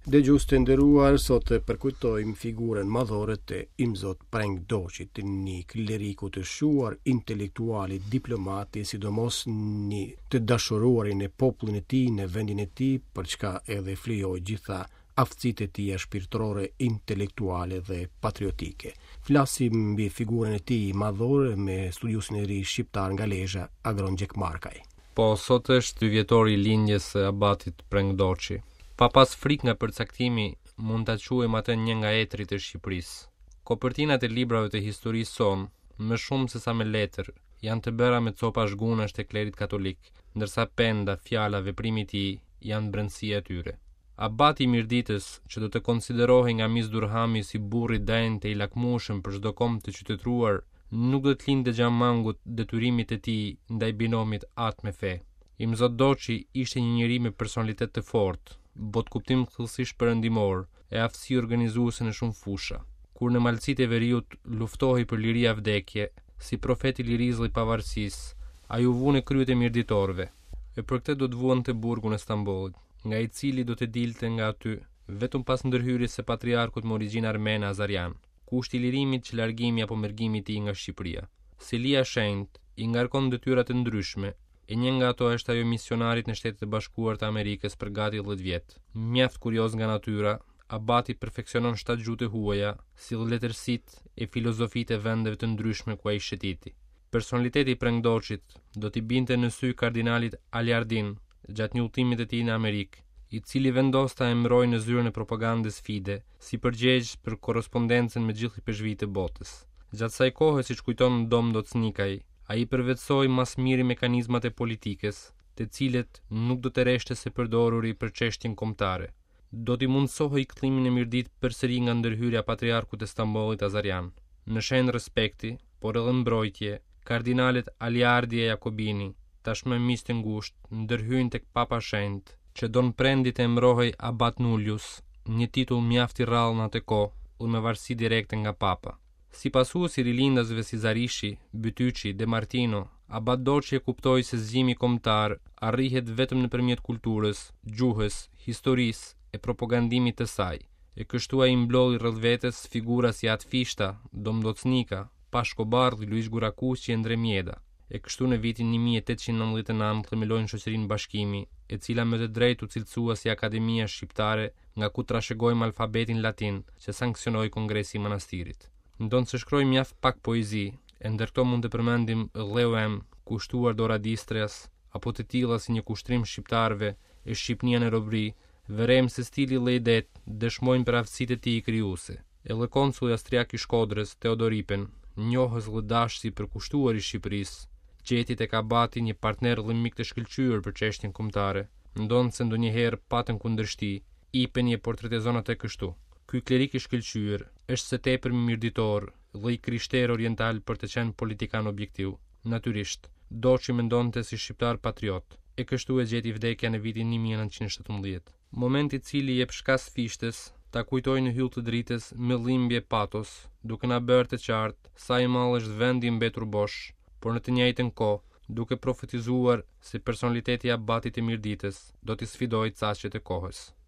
Dëgjues të nderuar, sot përkujtojmë figurën madhore të Imzot Preng Doçit, një kleriku të shquar, intelektuali, diplomati, sidomos një të dashuruari në popullin e tij, në vendin e tij, për çka edhe flijoi gjitha aftësitë e tija shpirtërore, intelektuale dhe patriotike. Flasim mbi figurën e tij madhore me studiuesin e ri shqiptar nga Lezha, Agron Gjekmarkaj. Po, sot është dyvjetori i lindjes së abatit Preng Doçi. Pa pas frikë nga përcaktimi, mund ta quajmë atë një nga etërit e Shqipërisë. Kopertinat e librave të historisë sonë, më shumë se sa me letër, janë të bëra me copa zhgunash të klerit katolik, ndërsa penda, fjala, veprimi i tij janë brendësia e tyre. Abati i Mirditës, që do të konsiderohej nga Miss Durhami si burrë i denjë e i lakmueshëm për çdo komb të qytetëruar, nuk do t'i linte gjë mangut detyrimit të tij ndaj binomit atë me fe. Imzot Doçi ishte një njeri me personalitet të fortë, botëkuptim thellësisht perëndimor e aftësi organizuese në shumë fusha. Kur në malësitë e veriut luftohej për liri a vdekje, si profet i lirisë dhe i pavarësisë, ai u vu në krye të mirditorëve. E për këtë do të vuante burgun e Stambollit, nga i cili do të dilte nga aty vetëm pas ndërhyrjes së patriarkut me origjinë armene Azarian. Kushti i lirimit qe largimi apo mërgimi i tij nga Shqipëria. Selia e Shenjtë i ngarkon detyra të ndryshme, e një nga ato është ajo e misionarit në Shtetet e Bashkuara të Amerikës për gati 10 vjet. Mjaft kurioz nga natyra, abati perfeksionon shtatë gjuhë të huaja, si dhe letërsitë e filozofitë e vendeve të ndryshme ku ai shëtiti. Personaliteti i Preng Doçit do t'i binte në sy kardinalit Aliardin gjatë një udhëtimi të tij në Amerikë, i cili vendos ta emërojë në zyrën e propagandës Fide, si përgjegjës për korrespondencën me gjithë ipeshkvijtë e botës. Gjatë saj kohe, siç kujton Dom Ndoc Nikaj, ai përvetësoi ma së miri mekanizmat e politikës, të cilët nuk do të reshte së përdoruri për çështjen kombëtare. Do t'i mundësohej kthimi në Mirditë përsëri nga ndërhyrja e patriarkut të Stambollit Azarian. Në shenjë respekti, por edhe mbrojtje, kardinalët Aliardi e Jakobini, tashmë miq të ngushtë, ndërhyjnë tek Papa Shenjt, që Don Prendi të emërohej Abat Nullius, një titull mjaft i rrallë në atë kohë dhe me varësi direkte nga Papa. Si pasues i rilindasve si Zarishi, Bytyçi, De Martino, Abat Doçi e kuptoi se zgjimi kombëtar arrihet vetëm nëpërmjet kulturës, gjuhës, historisë e propagandimit të saj. E kështu ai mblodhi rreth vetes figura si At Fishta, Dom Ndoc Nika, Pashko Bardhi, Luigj Gurakuqi e Ndre Mjeda. E kështu në vitin 1899 themelojnë shoqërinë Bashkimi, e cila me të drejtë u cilësua si Akademia Shqiptare nga ku trashëgojmë alfabetin latin që sanksionoi Kongresi i Manastirit. Ndonëse shkroi mjaft pak poezi, e ndër këto mund të përmendim Dheu em, kushtuar Dora Distrias, apo të tilla si Një kushtrim shqiptarëve e Shqipnia në robëri, vërejmë se stili dhe idetë dëshmojnë për aftësitë e tij krijuese. Edhe konsulli austriak i Shkodrës, Teodor Ipen, njohës dhe dashës i përkushtuar i Shqipërisë, gjeti tek abati një partner dhe mik të shkëlqyer për çështjen kombëtare, ndonëse ndonjëherë patën kundërshti, Ipeni e portretizon atë kështu, Ky klerik i shkëlqyer është së tepërmi mirditor dhe i krishterë oriental për të qenë politikan objektiv. Natyrisht, Doçi mendonte si shqiptar patriot, e kështu e gjeti vdekja në vitin 1917. Moment i cili i jep shkas Fishtës ta kujtojë në Yll të dritës me dhimbje e patos, duke na bërë të qartë sa i madh është vendi i mbetur bosh, por në të njëjtën kohë, duke profetizuar se personaliteti i abatit të Mirditës do t'i sfidojë caqet e kohës.